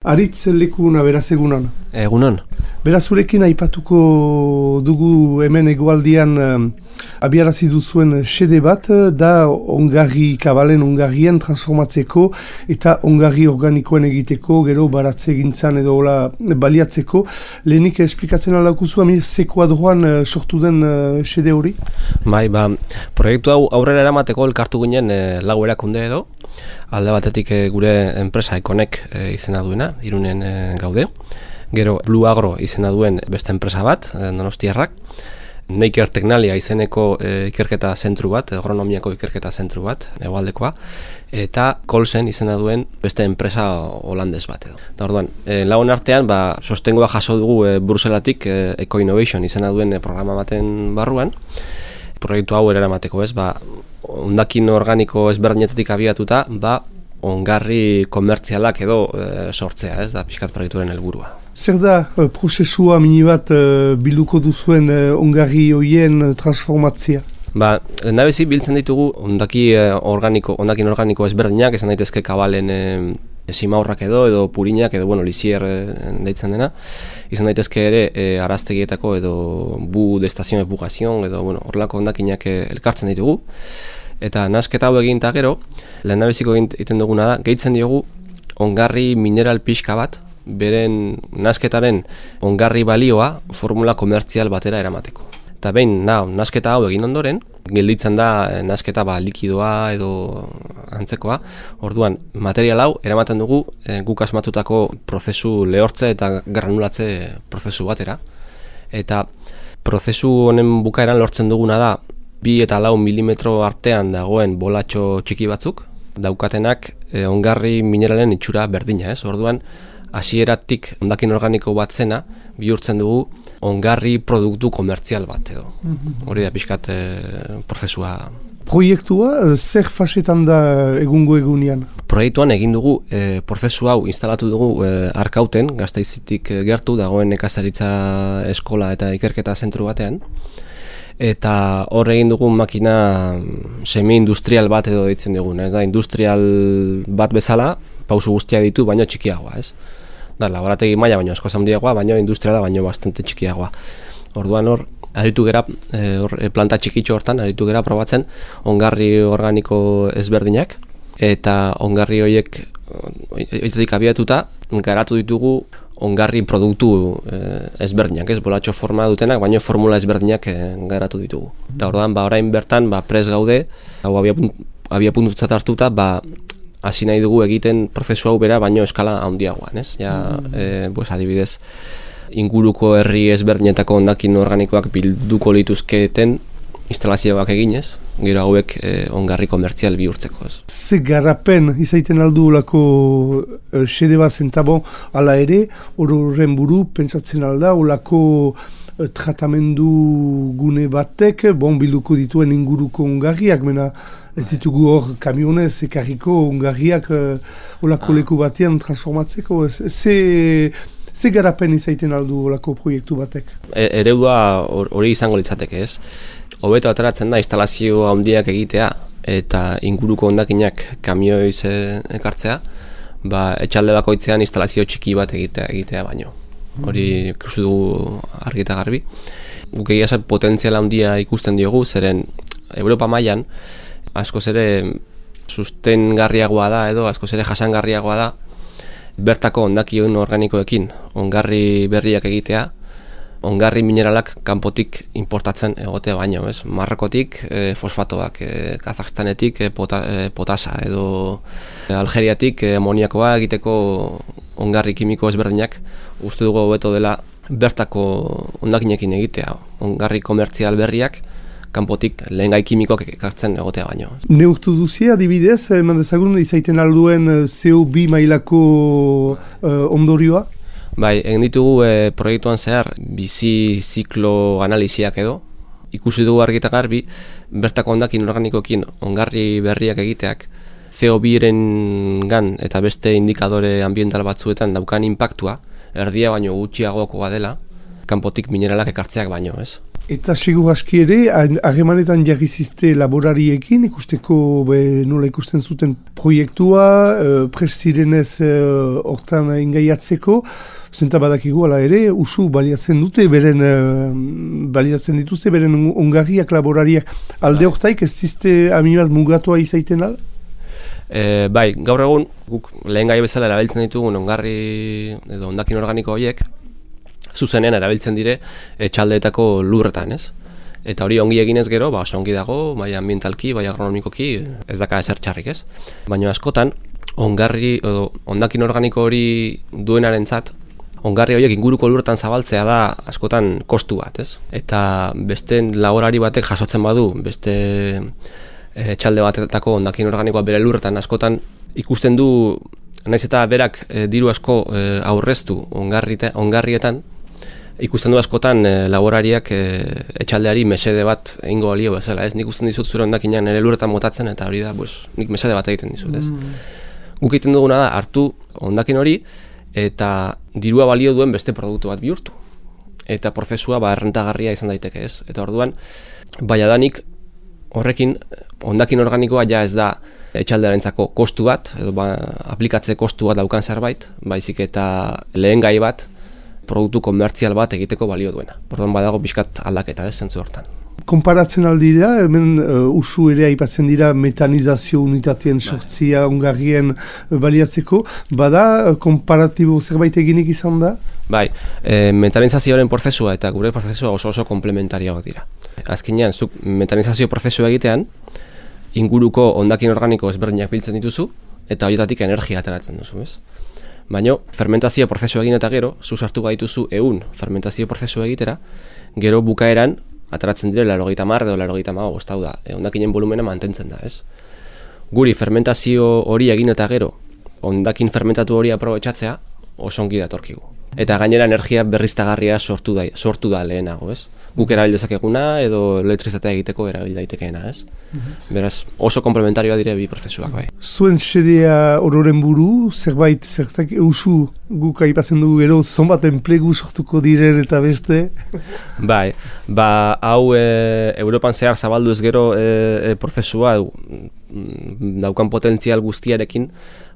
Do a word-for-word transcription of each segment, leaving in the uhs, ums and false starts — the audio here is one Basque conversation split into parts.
Aritz lekuna, beraz egunon. Egunon. Beraz zurekin aipatuko dugu hemen egoaldian um, abiarazi duzuen xede bat, da ongarri kabalen ongarrien transformatzeko eta ongarri organikoen egiteko, gero baratze gintzan edo hola baliatzeko. Lehenik esplikatzen aldakuzu, amir zekuadroan uh, sortu den uh, xede hori? Bai, ba, proiektu hau aurrera eramateko elkartu ginen e, lau erakunde edo. Alde batetik e, gure enpresa Ekonek e, izena duena, Irunen e, gaude. Gero Blue Agro izena duen beste enpresa bat, e, Donostiarrak. Neiker Teknalia izeneko e, ikerketa zentru bat, agronomiako ikerketa zentru bat, hegoaldekoa. Eta Colsen izena duen beste enpresa holandez bat edo. Da orduan, e, lagun artean, ba, sostengoa jaso dugu e, Bruselatik e, Eco Innovation izena duen e, programa baten barruan. Proiektu hau eramateko ez, ba, hondakin organiko ezberdinetatik abiatuta, ba, ongarri komertzialak edo e, sortzea, ez da, pixkat proiektuaren helburua. Zer da uh, prozesua mini bat uh, bilduko duzuen uh, ongarri hoien uh, transformatzea? Ba, nabezi biltzen ditugu ondaki uh, organiko, ondakin organiko ezberdinak, esan daitezke kabalen e, simaurrak edo, edo purinak, edo, bueno, lizier e, deitzen dena. Izan daitezke ere e, araztegietako edo bu destazion epugazion, edo, bueno, horrelako ondakinak e, elkartzen ditugu. Eta nasketa hau egin eta gero, lehen nabeziko egiten duguna da, gehitzen diogu ongarri mineral pixka bat, beren nasketaren ongarri balioa formula komertzial batera eramateko. Eta behin, na, nasketa hau egin ondoren, gelditzen da nasketa ba, likidoa edo antzekoa. Orduan, material hau eramaten dugu e, guk asmatutako prozesu lehortze eta granulatze prozesu batera. Eta prozesu honen bukaeran lortzen duguna da bi eta lau milimetro artean dagoen bolatxo txiki batzuk, daukatenak e, ongarri mineralen itxura berdina, ez? Orduan, hasieratik ondakin organiko bat zena, bihurtzen dugu ongarri produktu komertzial bat edo. Hori da pixkat e, prozesua. Proiektua zer fasetan da egungo egunean? Proiektuan egin dugu e, prozesu hau instalatu dugu e, Arkauten, Gasteizitik gertu dagoen nekazaritza eskola eta ikerketa zentru batean. Eta hor egin dugu makina semi-industrial bat edo ditzen dugun, ez da, industrial bat bezala, pausu guztia ditu, baino txikiagoa, ez? Da, laborategi maila baino asko handiagoa, baino industriala baino bastante txikiagoa. Orduan hor, aritu gera, e, or, planta txikitxo hortan, aritu gera probatzen ongarri organiko ezberdinak, eta ongarri horiek oitetik abiatuta, garatu ditugu ongarri produktu eh, ezberdinak, ez, bolatxo forma dutenak, baina formula ezberdinak eh, garatu ditugu. Eta orduan, ba, orain bertan, ba, pres gaude, hau abia puntutzat hartuta, ba, hasi nahi dugu egiten prozesu hau bera, baino eskala handiagoan, ez? Ja, eh, pues, adibidez, inguruko herri ezberdinetako ondakin organikoak bilduko lituzketen instalazioak eginez, gero hauek eh, ongarri komertzial bihurtzeko, ez. Ze garapen izaiten aldu olako uh, xede bat zentabo ala ere, horren buru pentsatzen alda olako uh, tratamendu gune batek, bon bilduko dituen inguruko ongarriak, mena ez ditugu hor kamionez ekarriko ongarriak uh, olako ah. leku batean transformatzeko, ze... Ze garapen izaiten aldu olako proiektu batek? E, eredua hori izango litzateke, ez? Hobeto ateratzen da instalazio handiak egitea eta inguruko hondakinak kamioiz ekartzea, ba, etxalde bakoitzean instalazio txiki bat egitea, egitea baino. Hori ikusi dugu argi eta garbi. Guk egia zer potentziala handia ikusten diogu, zeren Europa mailan askoz ere sustengarriagoa da edo askoz ere jasangarriagoa da bertako ondakion organikoekin ongarri berriak egitea, ongarri mineralak kanpotik importatzen egotea baino, ez? Marrokotik e, fosfatoak, e, Kazakstanetik e, pota, e, potasa edo e, Algeriatik e, amoniakoa egiteko ongarri kimiko ezberdinak uste dugu hobeto dela bertako ondakinekin egitea, ongarri komertzial berriak kanpotik lehen gai kimikoak ekartzen egotea baino. Neurtu duzia, adibidez, eman dezagun izaiten alduen C O bi mailako uh, ondorioa? Bai, egin ditugu e, proiektuan zehar bizi ziklo analiziak edo, ikusi dugu argi eta garbi, bertako ondakin organikoekin ongarri berriak egiteak C O biren gan eta beste indikadore ambiental batzuetan daukan inpaktua, erdia baino gutxiagokoa dela, kanpotik mineralak ekartzeak baino, ez? Eta segur aski ere, harremanetan jarri zizte laborariekin, ikusteko be, nola ikusten zuten proiektua, uh, prest zirenez hortan uh, ingaiatzeko, zenta badakigu ala ere, usu baliatzen dute, beren, uh, baliatzen dituzte, beren ongarriak laborariak. Alde hortaik ez zizte aminat mugatua izaiten ala? E, bai, gaur egun, guk lehen gai bezala erabiltzen ditugun ongarri edo hondakin organiko horiek, zuzenean erabiltzen dire etxaldeetako lurretan, ez? Eta hori ongi eginez gero, ba, oso ongi dago, bai ambientalki, bai agronomikoki, ez daka ezer txarrik, ez? Baina askotan, ongarri, edo, hondakin organiko hori duenarentzat, ongarri horiek inguruko lurretan zabaltzea da askotan kostu bat, ez? Eta beste laborari batek jasotzen badu, beste etxalde batetako hondakin organikoa bere lurretan askotan ikusten du, naiz eta berak e, diru asko e, aurreztu ongarrietan, ikusten du askotan e, laborariak e, etxaldeari mesede bat egingo balio bezala, ez? Nik usten dizut zure hondakinean nire lurretan motatzen eta hori da, pues, nik mesede bat egiten dizut, ez? Mm. Guk egiten duguna da, hartu hondakin hori eta dirua balio duen beste produktu bat bihurtu. Eta prozesua ba, errentagarria izan daiteke, ez? Eta orduan, bai adanik horrekin hondakin organikoa ja ez da etxaldearentzako kostu bat, edo ba, aplikatze kostu bat daukan zerbait, baizik eta lehen gai bat, produktu komertzial bat egiteko balio duena. Orduan badago pixkat aldaketa, ez, zentzu hortan. Konparatzen aldira, hemen uh, usu ere aipatzen dira metanizazio unitatien sortzia ongarrien baliatzeko, bada uh, konparatibo zerbait eginik izan da? Bai, e, metanizazioaren prozesua eta gure prozesua oso oso komplementarioak dira. Azkenean, zuk metanizazio prozesua egitean, inguruko hondakin organiko ezberdinak biltzen dituzu, eta horietatik energia ateratzen duzu, ez? Baina, fermentazio prozesu egin eta gero, zu sartu gaituzu ehun fermentazio prozesu egitera, gero bukaeran, ateratzen dire laurogeita hamar edo laurogeita hamabost, hau da, hondakinen volumena mantentzen da, ez? Guri fermentazio hori egin eta gero, hondakin fermentatu hori aprobetxatzea, oso ongi datorkigu. Eta gainera energia berriztagarria sortu da, sortu da lehenago, ez? Guk erabil dezakeguna edo elektrizitatea egiteko erabil daitekeena, ez? Mm-hmm. Beraz, oso komplementarioa dire bi prozesuak, bai. Zuen xedea ororen buru, zerbait, zertak eusu guk aipatzen dugu gero, zonbat enplegu sortuko diren eta beste? Bai, ba, hau e, Europan zehar zabaldu ez gero e, e, prozesua daukan potentzial guztiarekin,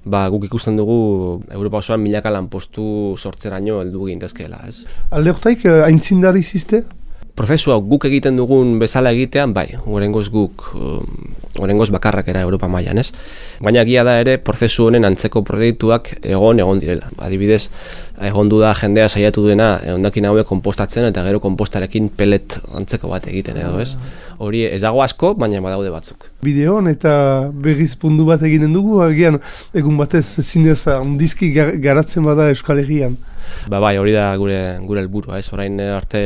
ba, guk ikusten dugu Europa osoan milaka lanpostu sortzeraino heldu gintezkeela, ez? Alde hortaik, aintzindari zizte? Prozesua guk egiten dugun bezala egitean, bai, oraingoz guk, oraingoz bakarrak era Europa mailan, ez? Baina egia da ere, prozesu honen antzeko proiektuak egon egon direla. Adibidez, egondu da jendea saiatu duena hondakin hauek konpostatzen eta gero konpostarekin pelet antzeko bat egiten edo, ez? Hori ez dago asko, baina badaude batzuk. Bideon eta berriz pundu bat eginen dugu, agian egun batez zinez handizki garatzen bada Euskal Herrian. Ba bai, hori da gure gure helburua, ez? Orain arte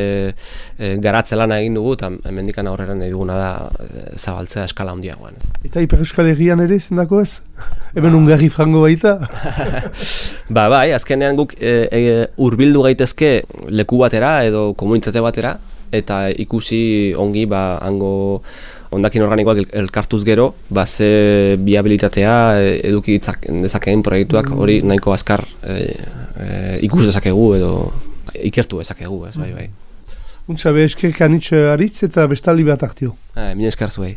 e, garatze lana egin dugu eta hemendikan aurrera nahi duguna da e, zabaltzea eskala handiagoan. Eta Ipar Euskal Herrian ere zendako ez? Hemen ba. Ungarri frango baita? Ba bai, azkenean guk e, e, hurbildu gaitezke leku batera edo komunitate batera eta ikusi ongi ba hango hondakin organikoak elkartuz gero, ba ze biabilitatea eduki dezakeen proiektuak hori nahiko azkar e, e, ikus dezakegu edo ikertu dezakegu, ez, bai, bai. Untxa, be eskerrik anitz aritz eta bestaldi bat aktio. Eh, mine esker zuei.